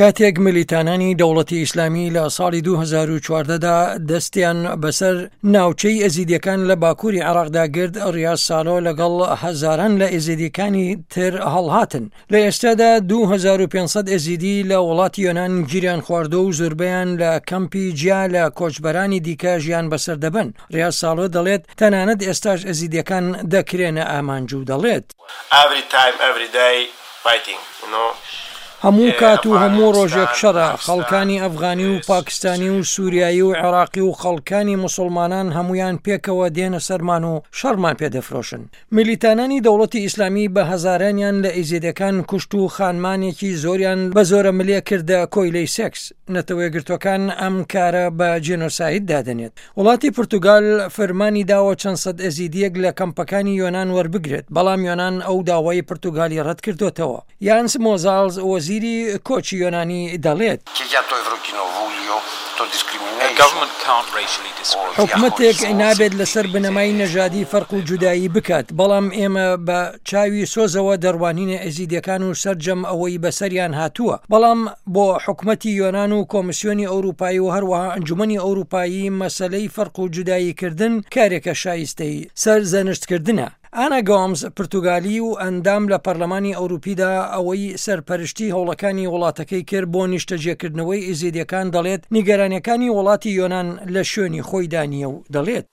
کاتێک ملیتانانی دەوڵەتی ئیسلامی لە ساڵی 2014 دا دەستیان بەسەر ناوچەی ئێزیدیەکان لە باکووری عێراقدا گرت، ڕیاز سالۆ لەگەڵ هەزاران لە ئێزیدیەکانی تر هەڵهاتن. لە ئێستادا 2500 ئێزیدی لە وڵاتی یۆنان گیریان خواردووە و زۆربەیان لە کەمپی جیا لە کۆچبەرانی دیکە ژیان بەسەر دەبەن. ڕیاز سالۆ دەڵێت، تەنانەت ئێستاش ئێزیدیەکان دەکرێنە ئامانج و دەڵێت. Every time every day fighting you know. هەموو کات و هەموو ڕۆژێک شەڕە، خەڵکانی ئەفغانی و پاکستانی و سوریایی و عێراقی و خەڵکانی موسوڵمانان هەموویان پێکەوە دێنە سەرمان و شەڕمان پێ دەفرۆشن. میلیتانانی دەوڵەتی ئیسلامی بە هەزارانیان لە ئیزیدەکان کوشت و خانمانێکی زۆریان بە زۆرەملێ کردە کۆیلەی سێکس. نەتەوەیەکگرتووەکان ئەم کارە بە جینۆساید دادەنێت. وڵاتی پورتوگال فرمانی داوە چەند سەد ئێزیدییەک لە کەمپەکانی یۆنان وەربگرێت، بەڵام یۆنان ئەو داوای پورتوگالی ڕەتکردۆتەوە. یانس مۆزاڵز وەزیری کۆچی یۆنانی دەڵێت. حکومەتێک نابێت لەسەر بنەمای نەژادی فەرق و جودایی بکات، بەڵام ئێمە بە چاوی سۆزەوە دەڕوانینە ئێزیدیەکان و سەرجەم ئەوەی بەسەریان هاتووە، بەڵام بۆ حکومەتی یۆنان و کۆمسیۆنی ئەوروپایی و هەروەها ئەنجومەنی ئەوروپایی مەسەلەی فەرق و جوداییکردن کارێکە شایستەی سەرزەنشتکردنە. ئانا گۆمز، پرتوگالی و ئەندام لە پەرلەمانی ئەوروپیدا ئەوەی سەرپەرشتی هەوڵەکانی وڵاتەکەی کرد بۆ نیشتەجێکردنەوەی ئێزیدیەکان دەڵێت نیگەرانیەکانی وڵاتی یۆنان لە شوێنی خۆیدا نییە و دەڵێت.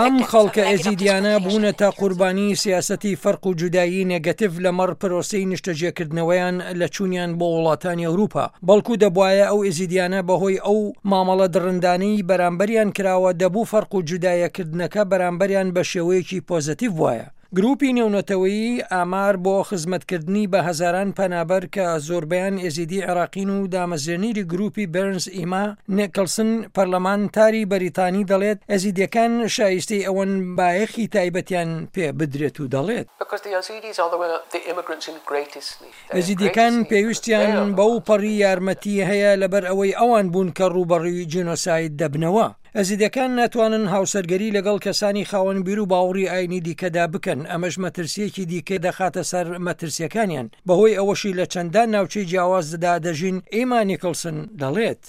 ئەم خەڵکە ئێزیدیانە بوونەتە قوربانی سیاسەتی فەرق و جودایی نێگەتیڤ لەمەڕ پرۆسەی نیشتەجێکردنەوەیان لە چوونیان بۆ وڵاتانی ئەوروپا، بەڵکو دەبوایە ئەو ئێزیدیانە بەهۆی ئەو مامەڵە دڕندانەی بەرامبەریان کراوە دەبوو فەرق و جودایەکردنەکە بەرامبەریان بەشێوەیەکی پۆزەتیڤ بوایە. گروپی نێونەتەوەیی ئامار بۆ خزمەتکردنی بە هەزاران پەنابەر کە زۆربەیان ئێزیدی عێراقین و دامەزرێنیری گروپی بێرنز ئیما نێکڵسن پەرلەمانتاری بەریتانی دەڵێت ئێزیدیەکان شایستەی ئەوەن بایەخی تایبەتیان پێ بدرێت و دەڵێت. ئێزیدیەکان پێویستیان بەو پەڕی یارمەتی هەیە لەبەر ئەوەی ئەوان بوون کە ڕووبەڕووی جینۆساید دەبنەوە. ئێزیدیەکان ناتوانن هاوسەرگەری لەگەڵ کەسانی خاوەن بیر و باوڕی ئاینی دیکەدا بکەن، ئەمەش مەترسییەکی دیکە دەخاتە سەر مەترسییەکانیان، بەهۆی ئەوەشی لە چەندان ناوچەی جیاوازدا دەژین، ئیما نیکڵسن دەڵێت.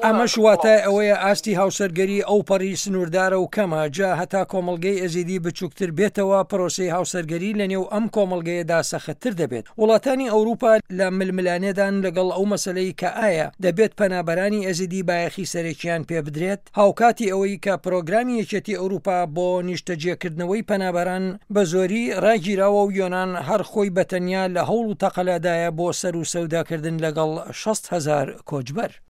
ئەمەش واتای ئەوەیە ئاستی هاوسەرگەری ئەوپەڕی سنووردارە و کەمە، جا هەتا کۆمەڵگەی ئێزیدی بچووکتر بێتەوە، پرۆسەی هاوسەرگەری لەنێو ئەم کۆمەڵگەیەدا سەختتر دەبێت. وڵاتانی ئەوروپا لە ململانێدان لەگەڵ ئەو مەسەلەی کە ئایا دەبێت پەنابەرانی ئێزیدی بایەخی سەرەکییان پێبدرێت، هاوکاتی ئەوەی کە پرۆگرامی یەکێتی ئەوروپا بۆ نیشتەجێکردنەوەی پەنابەران بە زۆری ڕاگیراوە و یۆنان هەر خۆی بە تەنیا لە هەوڵ و تەقەلادایە بۆ سەر و سەوداکردن لەگەڵ 60 هەزار کۆچبەر.